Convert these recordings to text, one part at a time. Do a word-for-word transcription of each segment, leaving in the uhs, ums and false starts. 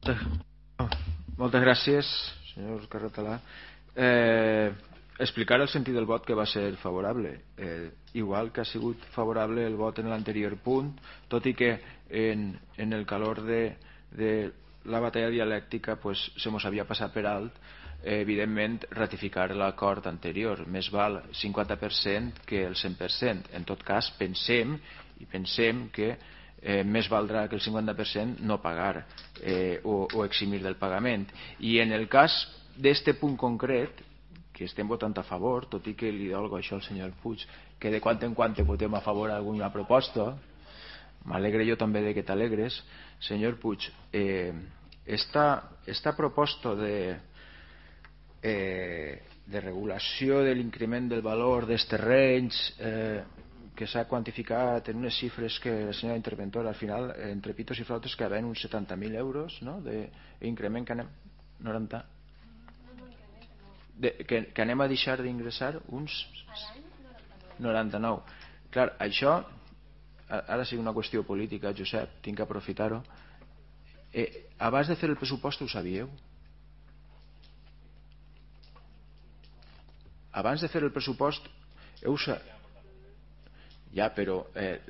Moltes gràcies, senyor Carretalà. Eh, explicar el sentit del vot que va ser favorable. Eh, igual que ha sigut favorable el vot en l'anterior punt, tot i que en, en el calor de, de la batalla dialèctica pues, se mos havia passat per alt, eh, evidentment, ratificar l'acord anterior. Més val cinquanta per cent que el cent per cent. En tot cas, pensem i pensem que Eh, més valdrà que el cinquanta per cent no pagar eh, o, o eximir del pagament. I en el cas d'este punt concret, que estem votant a favor, tot i que li dolgo això al senyor Puig, que de quan en quan votem a favor alguna proposta, m'alegre jo també de que t'alegres, senyor Puig, eh, esta, esta proposta de, eh, de regulació de l'increment del valor dels terrenys, eh, que s'ha quantificat en unes xifres que la senyora interventora al final, entre pitos i flautes, que ven uns setanta mil euros, no?, d'increment que anem noranta de, que, que anem a deixar d'ingressar uns noranta-nou. Clar, això ara sigui una qüestió política, Josep, tinc que aprofitar-ho. Eh, abans de fer el pressupost ho sabíeu? Abans de fer el pressupost heu sabut. Ja, però... Eh,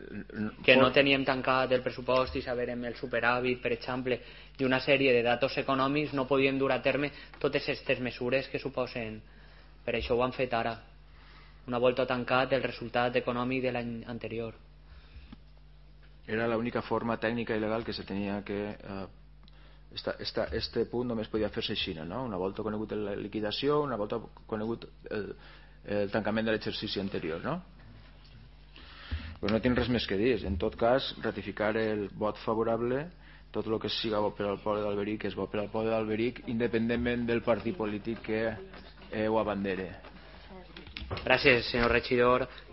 que no teníem tancat el pressupost i saberem el superàvit, per exemple, i una sèrie de datos econòmics, no podien dur a terme totes aquestes mesures que suposen. Per això ho han fet ara. Una volta tancat el resultat econòmic de l'any anterior. Era l'única forma tècnica i legal que se tenia que... Eh, esta, esta, este punt només podia fer-se així, no? Una volta conegut la liquidació, una volta conegut el, el tancament de l'exercici anterior, no? Pues no tinc res més que dir. En tot cas, ratificar el vot favorable, tot el que siga bo per al poble d'Alberic és bo per al poble d'Alberic, independentment del partit polític que eh, ho abandere. Gràcies, senyor regidor.